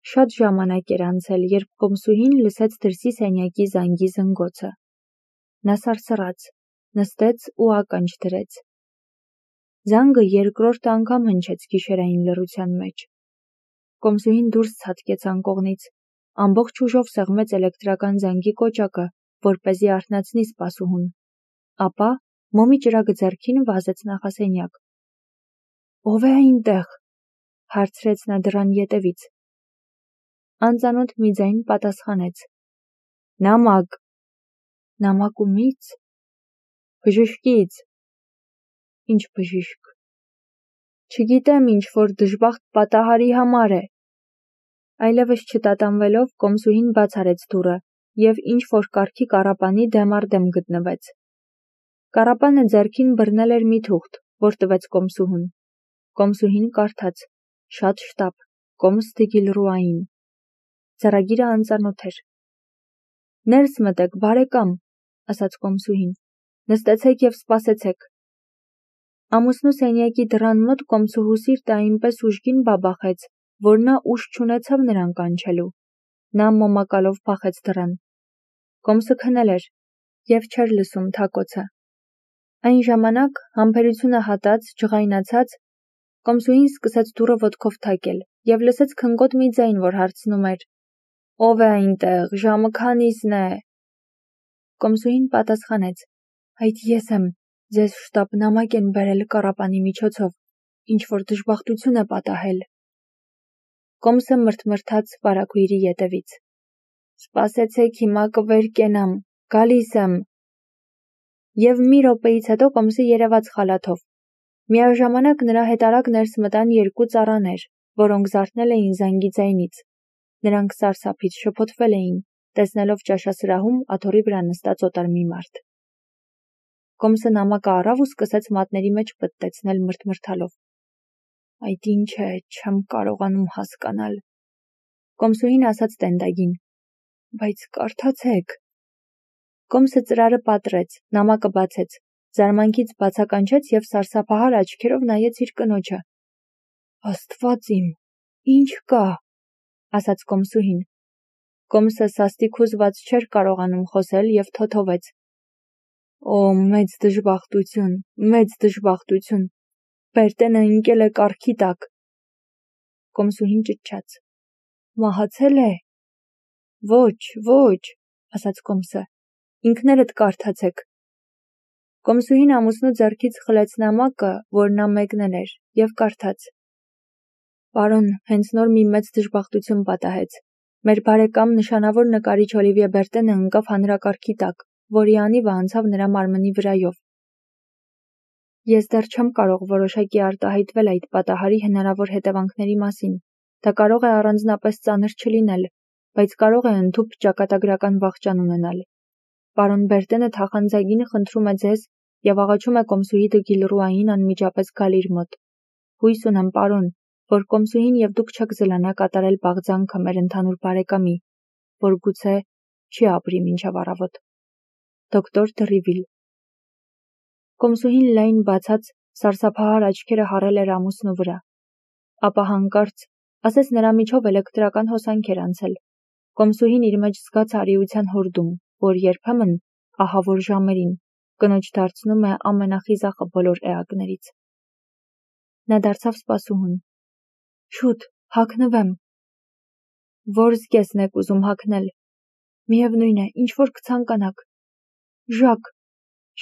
Շատ ժամանակ էր անցել, երբ կոմսուհին լսեց դրսի սենյակի զանգի զնգոցը: Նա սարսռաց, նստեց ու ականջ դրեց: Զանգը երկրորդ անգամ հնչեց գիշերային լռության մեջ: Կոմսուհին դուրս ցատկեց անկողնից, ամբողջ ուժով սեղմեց էլեկտրական զանգի կոճակը, որպեսզի արթնացնի սպասուհուն: Ապա մոմի ճրագը ձեռքին վազեց նախասենյակ: «Ո՞վ է այնտեղ» հարցրեց նա դռան ետևից: Անծանոթ մի ձայն պատասխանեց. «Նամակ»: «Նամակ ումի՞ց»: «Բժշկից»: «Ինչ բժիշկ»: «Չգիտեմ, ինչ-որ դժբախտ պատահարի համար է»: Այլևս չտատանվելով, կոմսուհին բաց արեց դուռը և ինչ-որ կարգի կառապանի դեմ առ դեմ գտնվեց: Կառապանը ձեռքին բռնել էր մի թուղթ, որ տվեց կոմսուհուն: Կոմսուհին կարդաց. «Շատ շտապ, կոմս Դգիլռուային»: Ձեռագիրը անծանոթ էր: «Ներս մտեք, բարեկամ», ասաց կոմսուհին: «Նստեցեք և սպասեցեք»: Ամուսնու սենյակի դռան մոտ կոմսուհու սիրտը այնպես ուժգին բաբախեց, որ նա ուժ չունեցավ նրան կանչելու: Նա մոմակալով փախեց դռան: Կոմսը քնել էր և չէր լսում թակոցը: Այն ժամանակ, համբերությունը հատած, ջղայնացած, կոմսուհին սկսեց դուռը ոտքով թակել և լսեց քնկոտ մի ձայն, որ հարցնում էր. «Ո՞վ է այնտեղ, ժամը քանիսն է»: Կոմսուհին պատասխանեց. «Այդ ես եմ, ձեզ շտապ նամակ են բերել կառապանի միջոցով, ինչ-որ դժբախտություն է պատահել»: Կոմսը մրթմրթաց վարագույրի ետևից: «Սպասեցեք, հիմա կվեր կենամ, գալիս եմ»: Եվ մի րոպեից հետո կոմսը երևաց խալաթով: Միաժամանակ նրա հետ արագ ներս մտան երկու ծառաներ, որոնք զարթնել էին զանգի ձայնից: Նրանք սարսափից շփոթվել էին, տեսնելով ճաշասրահում աթոռի վրա նստած օտար մի մարդ: Կոմսը նամակը առավ ու սկսեց մատների մեջ պտտեցնել մրթմրթալով: «Այդ ինչ է, չեմ կարողանում հասկանալ»: Կոմսուհին ասաց տենդագին. «Բայց կարդացեք»: Կոմսը ծրարը պատռեց, նամակը բացեց, զարմանքից բացականչեց և սարսափահար աչքերով նայեց իր կնոջը: «Աստված իմ, ի՞նչ կա»: ասաց կոմսուհին: Կոմսը սաստիկ հուզված չէր կարողանում խոսել և թոթովեց. «Օ, մեծ դժբախտություն, մեծ դժբախտություն, Բերտենը ընկել է կառքի տակ»: Կոմսուհին ճչաց. «Մահացե՞լ է»: «Ոչ», ասաց կոմսը, «ինքներդ կարդացեք»: Կոմսուհին ամուսնու ձեռքից խլեց նամակը, որ նա մեկնել էր, և կարդաց. «Պարոն, հենց նոր մի մեծ դժբախտություն պատահեց: Մեր բարեկամ, նշանավոր նկարիչ Օլիվիե Բերտենը ընկավ հանրակարգի տակ, որի անիվը անցավ նրա մարմնի վրայով: Ես դեռ չեմ կարող որոշակի արտահայտվել այդ պատահարի հնարավոր հետևանքների մասին: Դա կարող է առանձնապես ծանր չլինել, բայց կարող է ընդհուպ ճակատագրական վախճան ունենալ: Պարոն Բերտենը թախանձագին խնդրում է ձեզ և աղաչում է կոմսուհի Դգիլռուային անմիջապես գալ իր մոտ: Հույս ունեմ, պարոն, որ կոմսուհին և դուք չեք զլանա կատարել բաղձանքը մեր ընդհանուր բարեկամի, որ գուցե չի ապրի մինչև առավոտ: Դոկտոր Դռիվիլ»: Կոմսուհին լայն բացած, սարսափահար աչքերը հառել էր ամուսնու վրա: Ապա հանկարծ, ասես նրա միջով էլեկտրական հոսանք էր անցել: Կոմսուհին իր մեջ զգաց արիության հորդում, որ երբեմն, ահավոր ժամերին, կնոջ դարձնում է ամենախիզախը բոլոր էակներից: Նա դարձավ սպասուհուն: «Շուտ, հագնվեմ»: «Ո՞ր զգեստն եք ուզում հագնել»: «Միևնույն է, ինչ-որ կցանկանաք»: «Ժակ»,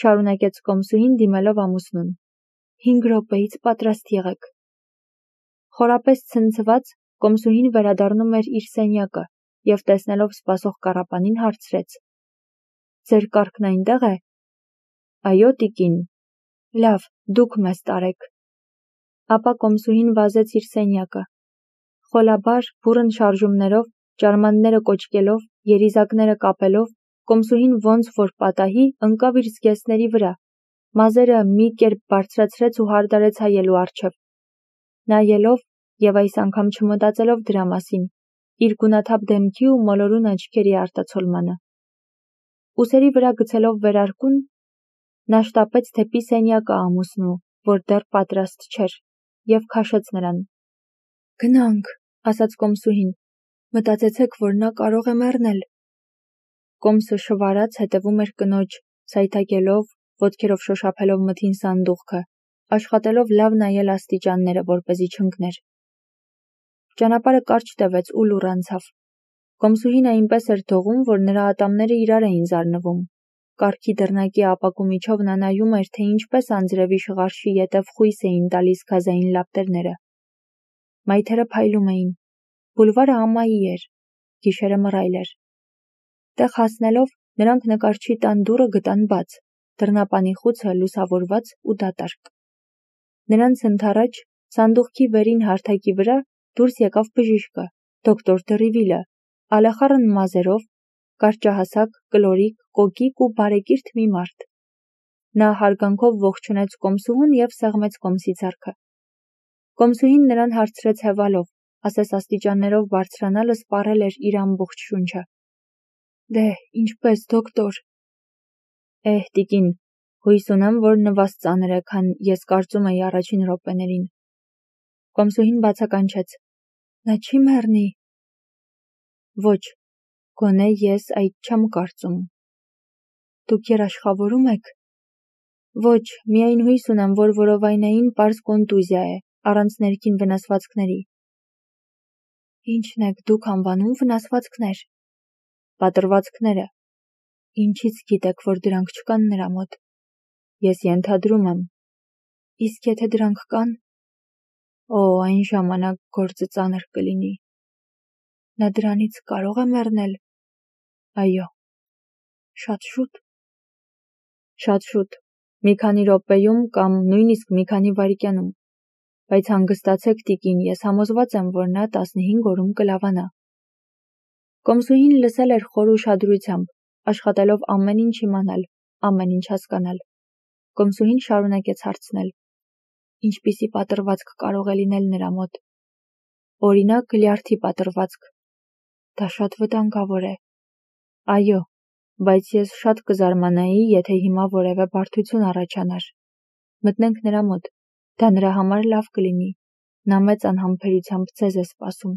շարունակեց կոմսուհին դիմելով ամուսնուն, 5 րոպեից պատրաստ եղեք»: Խորապես ցնցված, կոմսուհին վերադառնում էր իր սենյակը և տեսնելով սպասող կառապանին հարցրեց. «Ձեր կառքն այնտեղ է»: «Այո, տիկին»: «Լավ, դուք մեզ տարեք»: Ապա կոմսուհին վազեց իր սենյակը: Խոլաբար, բուռն շարժումներով, ճարմանները կոճկելով, երիզակները կապելով, կոմսուհին ոնց որ պատահի ընկավ իր զգեստների վրա, մազերը մի կերպ բարձրացրեց ու հարդարեց հայելու առջև: Նայելով և այս անգամ չմտածելով դրա մասին, իր գունաթափ դեմքի ու մոլորուն աչքերի արտացոլմանը: Ուսերի վրա գցելով վերարկուն, նա շտապեց դեպի սենյակը ամուսնու, որ դեռ պատրաստ չէր, և քաշեց նրան: «Գնանք», ասաց կոմսուհին, Մտածեցեք, որ նա կարող է մեռնել։ Կոմսը շվարած հետևում էր կնոջ, սայթաքելով, ոտքերով շոշափելով մթին սանդուղքը, աշխատելով լավ նայել աստիճանները, որպեսզի չընկներ։ Ճանապարհը կարճ տևեց ու լուռ անցավ։ Կոմսուհին այնպես էր թողում, որ նրա ատամները իրար էին զարնվում։ Կառքի դռնակի ապակու միջով նա նայում էր, թե ինչպես անձրևի շղարշի ետև խույս էին տալիս գազային լապտերները։ Մայթերը փայլում էին։ Բուլվարը ամայի էր, գիշերը մռայլ էր։ Տեղ հասնելով, նրանք նկարչի տան դուռը գտան բաց, դռնապանի խուցը լուսավորված ու դատարկ։ Նրանց ընդառաջ, սանդուղքի վերին հարթակի վրա դուրս եկավ բժիշկը, դոկտոր Դռիվիլը, ալեխառն մազերով, կարճահասակ, կլորիկ, կոկիկ ու բարեկիրթ մի մարդ։ Նա հարգանքով ողջունեց Կոմսուհուն և սեղմեց Կոմսի ձեռքը։ Կոմսուհին նրան հարցրեց հևալով, ասես աստիճաններով բարձրանալը սպառել էր իր ամբողջ շունչը։ Դե, ինչպես, դոկտոր։ Տիկին, հույս ունեմ, որ նվազ ծանր է, քան ես կարծում էի առաջին րոպեներին։ Կոմսուհին բացականչեց. Նա չի մեռնի։ Ոչ, գոնե ես այդ չեմ կարծում։ Դուք երաշխավորում եք։ Ոչ, միայն հույս ունեմ, որ որովայնային պարզ կոնտուզիա է, առանց ներքին վնասվածքների։ Ինչն եք դուք անվանում վնասվածքներ։ Պատրվածքները։ Ինչից գիտեք, որ դրանք չկան նրա մոտ։ Ես ենթադրում եմ։ Իսկ եթե դրանք կան, այն ժամանակ գործը ծանր կլինի։ Նա դրանից կարող է մեռնել։ Այո։ Շատ շուտ։ Շատ շուտ, մի քանի րոպեում կամ նույնիսկ մի քանի վայրկյանում, բայց հանգստացեք, տիկին, ես համոզված եմ, որ նա 15 օրում կլավանա։ Կոմսուհին լսել էր խոր ուշադրությամբ, աշխատելով ամեն ինչ իմանալ, ամեն ինչ հասկանալ։ Կոմսուհին շարունակեց հարցնել. Ինչպիսի պատրվածք կարող է լինել նրա մոտ։ Օրինակ, լյարդի պատրվածք։ Դա շատ վտանգավոր է։ Այո, բայց ես շատ կզարմանայի, եթե հիմա որևէ բարդություն առաջանար։ Մտնենք նրա մոտ, դա նրա համար լավ կլինի։ Նա մեծ անհամբերությամբ ձեզ է սպասում։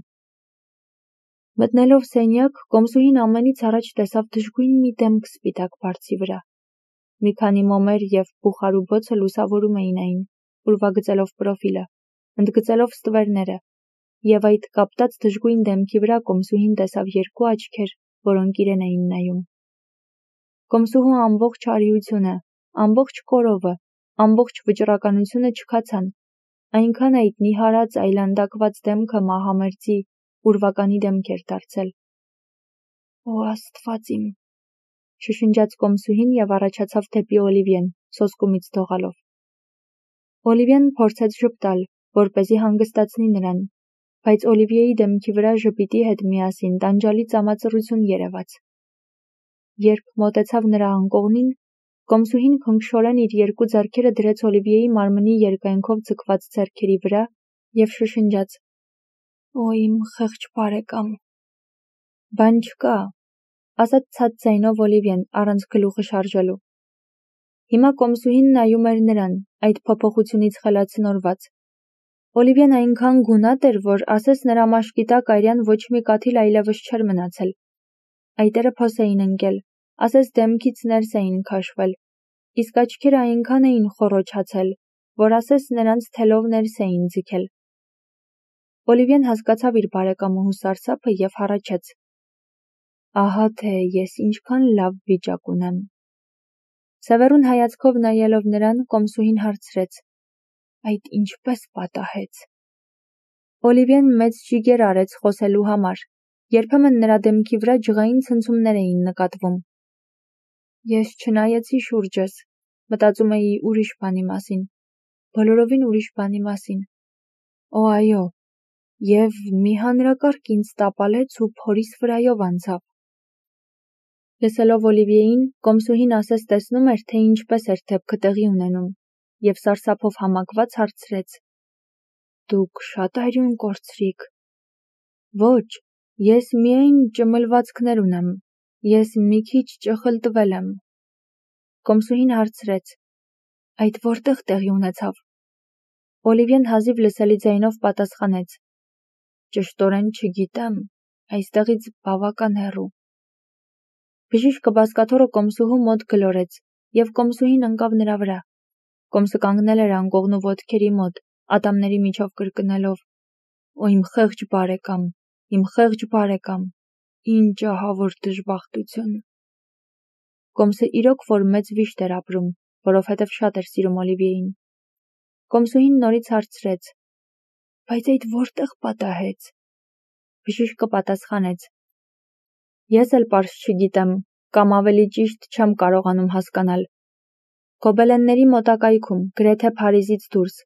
Մտնելով սենյակ, Կոմսուհին ամենից առաջ տեսավ դժգույն մի դեմք սպիտակ բարձի վրա։ Մի քանի մոմեր և բուխարու բոցը լուսավորում էին այն, ուրվագծելով պրոֆիլը, ընդգծելով ստվերները, և այդ կապտած դժգույն դեմքի վրա Կոմսուհին տեսավ երկու աչքեր, որոնք իրեն էին նայում։ Կոմսուհու ամբողջ արիությունը, ամբողջ կորովը, ամբողջ վճռականությունը չքացան, այնքան այդ նիհարած այլանդակված դեմքը մահամերձի, ուրվականի դեմք էր դարձել։ Օ Աստված իմ, շշնջաց Կոմսուհին և առաջացավ դեպի Օլիվիեն, սոսկումից դողալով։ Օլիվիեն փորձեց ժպտալ, որպեսզի հանգստացնի նրան, բայց Օլիվիեի դեմքի վրա ժպիտի հետ միասին տանջալի ծամածռություն երևաց։ Երբ մոտեցավ նրա անկողնին, Կոմսուհին քնքշորեն իր երկու ձեռքերը դրեց Օլիվիեի մարմնի երկայնքով ձգված ձեռքերի վրա և շշնջաց. Օ իմ խեղճ բարեկամ։ Բան չկա, ասաց ցած ձայնով Օլիվիեն, առանց գլուխը շարժելու։ Հիմա Կոմսուհին նայում էր նրան, այդ փոփոխությունից խելացնորված։ Օլիվիեն այնքան գունատ էր, որ ասես նրա մաշկի տակ արյան ոչ մի կաթիլ այլևս չէր մնացել։ Այտերը փոս էին ընկել, ասես դեմքից ներս էին քաշվել, իսկ աչքերը այնքան էին խոռոչացել, որ ասես նրանց թելով ներս էին ձգել։ Օլիվիեն հասկացավ իր բարեկամուհու սարսափը և հառաչեց. Ահա թե ես ինչքան լավ վիճակ ունեմ։ Սևեռուն հայացքով նայելով նրան, Կոմսուհին հարցրեց. Այդ ինչպես պատահեց։ Օլիվիեն մեծ ջիգեր արեց խոսելու համար, երբեմն նրա դեմքի վրա ջղային ցնցումներ էին նկատվում։ Ես չնայեցի շուրջս, մտածում էի ուրիշ բանի մասին, բոլորովին ուրիշ բանի մասին։ Օ այո, և մի հանրակարգ ինձ տապալեց ու փորիս վրայով անցավ։ Լսելով Օլիվիեին, Կոմսուհին ասես տեսնում էր, թե ինչպես էր դեպքը տեղի ունենում, և սարսափով համակված հարցրեց. Դուք շատ արյուն կորցրիք։ Ոչ, ես միայն ճմլվածքներ ունեմ, ես մի քիչ ճխլտվել եմ։ Կոմսուհին հարցրեց. Այդ որտեղ տեղի ունեցավ։ Օլիվիեն հազիվ լսելի ձայնով պատասխանեց. Ճշտորեն չգիտեմ, այստեղից բավական հեռու։ Բժիշկը բազկաթոռը կոմսուհու մոտ գլորեց, և կոմսուհին ընկավ նրա վրա։ Կոմսը կանգնել էր անկողնու ոտքերի մոտ, ատամների միջով կրկնելով. «Օ իմ խեղճ բարեկամ, իմ խեղճ բարեկամ, ինչ ահավոր դժբախտություն»։ Կոմսը իրոք որ մեծ վիշտ էր ապրում, որովհետև շատ էր սիրում Օլիվիեին։ Կոմսուհին նորից հարցրեց. «Բայց այդ որտեղ պատահեց»։ Բժիշկը պատասխանեց. «Ես էլ պարզ չգիտեմ, կամ ավելի ճիշտ չեմ կարողանում հասկանալ։ Գոբելենների մոտակայքում, գրեթե Փարիզից դուրս,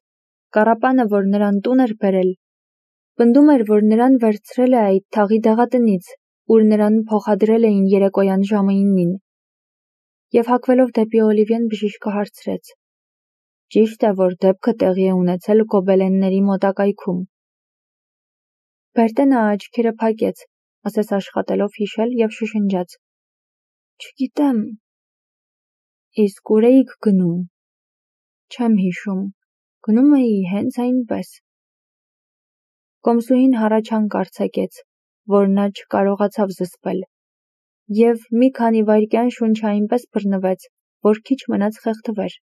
կառապանը, որ նրան տուն էր բերել, պնդում էր, որ նրան վերցրել է այդ թաղի դեղատնից, ուր նրան փոխադրել էին երեկոյան ժամը 9-ին։ Եվ հագվելով դեպի Օլիվիեն բժիշկը հարցրեց. «Ճիշտ է, որ դեպքը տեղի է ունեցել գոբելենների մոտակայքում»։ Բերտենը աչքերը փակեց, ասես աշխատելով հիշել և շշնջաց. «Չգիտեմ»։ «Իսկ ուր էիք գնում»։ «Չեմ հիշում, գնում էի հենց այնպես»։ Կոմսուհին հառաչանք արձակեց, որ նա չկարողացավ զսպել, և մի քանի վայրկյան շունչը այնպես բռնվեց, որ քիչ մնաց խեղդվեր։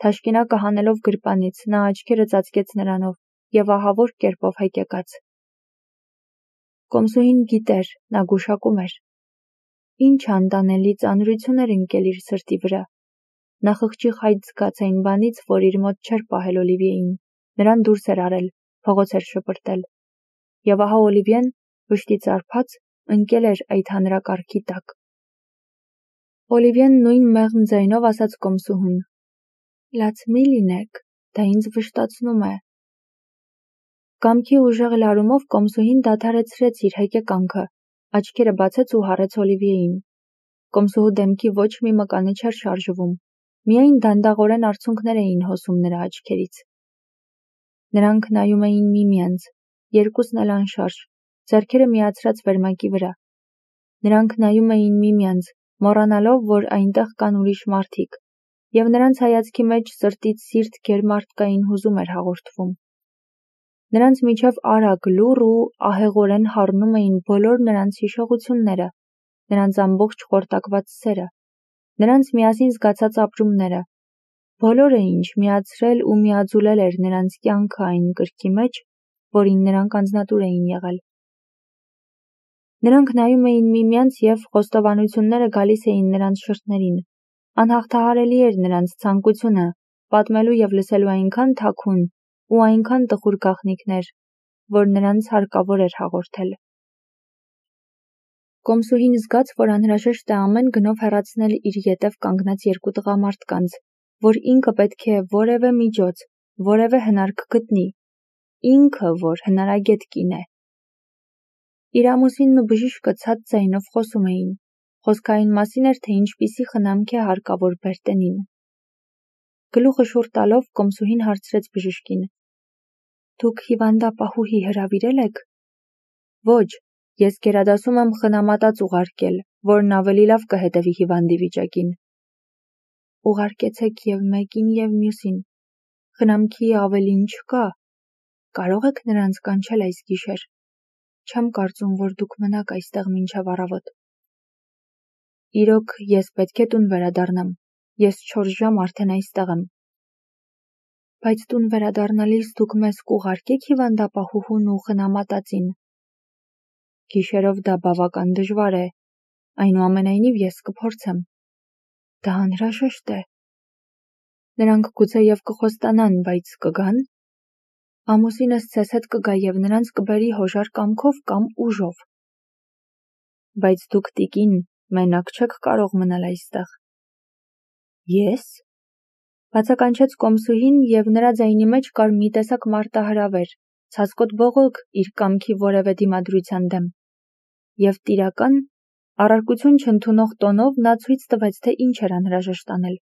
Թաշկինակը հանելով գրպանից, նա աչքերը ծածկեց նրանով և ահավոր կերպով հեկեկաց։ Կոմսուհին գիտեր, նա գուշակում էր. ինչ անտանելի ծանրություն էր ընկել իր սրտի վրա։ Նա խղճի խայտ զգաց այն բանից, որ իր մոտ չէր պահել Օլիվիեին, նրան դուրս էր արել, փողոց էր շպրտել։ Եվ ահա Օլիվիեն, վշտի ծարփած, ընկել էր այդ հանրակարգի տակ։ Օլիվիեն նույն մեղմ ձայնով ասաց կոմսուհուն. «Լաց մի լինեք, դա ինձ վշտացնում է»։ Կամքի ուժեղ լարումով կոմսուհին դադարեցրեց իր հեկեկանքը, աչքերը բացեց ու հառեց Օլիվիեին։ Կոմսուհու դեմքի ոչ մի մկանը չէր շարժվում, միայն դանդաղորեն արցունքներ էին հոսում նրա աչքերից։ Նրանք նայում էին միմյանց, երկուսն էլ անշարժ, ձեռքերը միացրած վերմակի վրա։ Նրանք նայում էին միմյանց, մոռանալով, որ այնտեղ կան ուրիշ մարդիկ, և նրանց հայացքի մեջ սրտից սիրտ գերմարդկային հուզում էր հաղորդվում։ Նրանց միջև արագ, լուռ ու ահեղորեն հառնում էին բոլոր նրանց հիշողությունները, նրանց ամբողջ խորտակված սերը, նրանց միասին զգացած ապրումները, բոլորը, ինչ միացրել ու միաձուլել էր նրանց կյանքը այն կրքի մեջ, որին նրանք անձնատուր էին եղել։ Նրանք նայում էին միմյանց և խոստովանությունները գալիս էին նրանց շրթներին։ Անհաղթահարելի էր նրանց ցանկությունը պատմելու և լսելու այնքան թաքուն ու այնքան տխուր գաղտնիքներ, որ նրանց հարկավոր էր հաղորդել։ Կոմսուհին զգաց, որ անհրաժեշտ է ամեն գնով հեռացնել իր ետև կանգնած երկու տղամարդկանց, որ ինքը պետք է որևէ միջոց, որևէ հնարք գտնի, ինքը, որ հնարագետ կին է։ Իր ամուսինն ու բժիշկը ցած ձայնով խոսում էին, խոսքը այն մասին էր, թե ինչպիսի խնամք է հարկավոր Բերտենին։ Գլուխը շուռ տալով կոմսուհին հարցրեց բժիշկին. «Դուք հիվանդապահուհի հրավիրել եք»։ «Ոչ, ես գերադասում եմ խնամատած ուղարկել, որն ավելի լավ կհետևի հիվանդի վիճակին»։ «Ուղարկեցեք և մեկին և մյուսին, խնամքի ավելին չկա, կարող եք նրանց կանչել այս գիշեր, չեմ կարծում, որ դուք մնաք այստեղ մինչև առավոտ»։ «Իրոք, ես պետք է տուն վերադառնամ, ես 4 ժամ արդեն այստեղ եմ»։ «Բայց տուն վերադառնալիս դուք մեզ կուղարկեք հիվանդապահուհուն ու խնամատածին»։ «Գիշերով դա բավական դժվար է, այնուամենայնիվ ես կփորձեմ»։ «Դա անհրաժեշտ է»։ «Նրանք գուցեև կխոստանան, բայց կգա՞ն»։ «Ամուսինս ձեզ հետ կգա և նրանց կբերի հոժար կամքով կամ ուժով»։ «Բայց դուք, տիկին, մենակ չեք կարող մնալ այստեղ»։ «Ես»։ Բացականչեց կոմսուհին, և նրա ձայնի մեջ կար մի տեսակ մարտահրավեր, ցասկոտ բողոք իր կամքի որևէ դիմադրության դեմ։ Եվ տիրական, առարկություն չընդունող տոնով նա ցույց տվեց, թե ինչ էր անհրաժեշտ անել։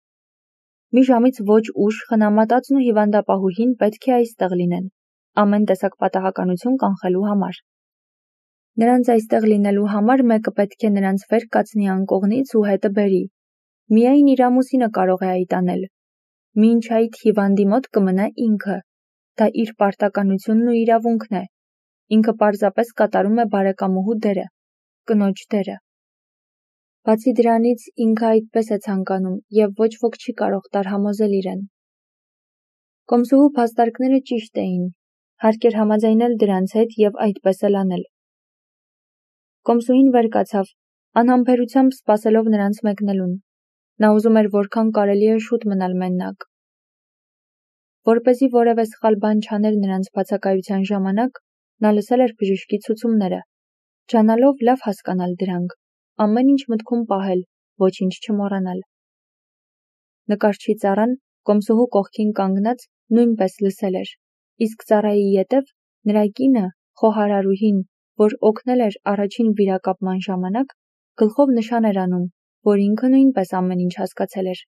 Մի ժամից ոչ ուշ խնամատածն ու հիվանդապահուհին պետք է այստեղ լինեն, ամեն տեսակ պատահականություն կանխելու համար։ Նրանց այստեղ լինելու համար մեկը պետք է նրանց վեր կացնի անկողնից ու հետը բերի։ Միայն իր ամուսինը կարող է այդ անել։ Մինչ այդ հիվանդի մոտ կմնա ինքը, դա իր պարտականությունն ու իրավունքն է։ ինքը պարզապես կատարում է բարեկամուհու դերը, կնոջ դերը։ Բացի դրանից ինքը այդպես է ցանկանում և ոչ ոք չի կարող տարհամոզել իրեն։ Կոմսուհու փաստարկները ճիշտ էին, հարկ էր համաձայնել դրանց հետ և այդպես էլ անել։ Կոմսուհին վեր կացավ, անհամբերությամբ սպասելով նրանց մեկնելուն։ Նա ուզում էր որքան կարելի է շուտ մնալ մենակ։ Որպեսզի որևէ սխալ բան չաներ նրանց բացակայության ժամանակ, նա լսել էր բժշկի ցուցումները, ջանալով լավ հասկանալ դրանք, ամեն ինչ մտքում պահել, ոչինչ չմոռանալ։ Նկարչի ծառան կոմսուհու կողքին կանգնած նույնպես լսել էր, իսկ ծառայի ետև նրա կինը, խոհարարուհին, որ օգնել էր առաջին վիրակապման ժամանակ, գլխով նշան էր անում, որ ինքը նույնպես ամեն ինչ հասկացել էր։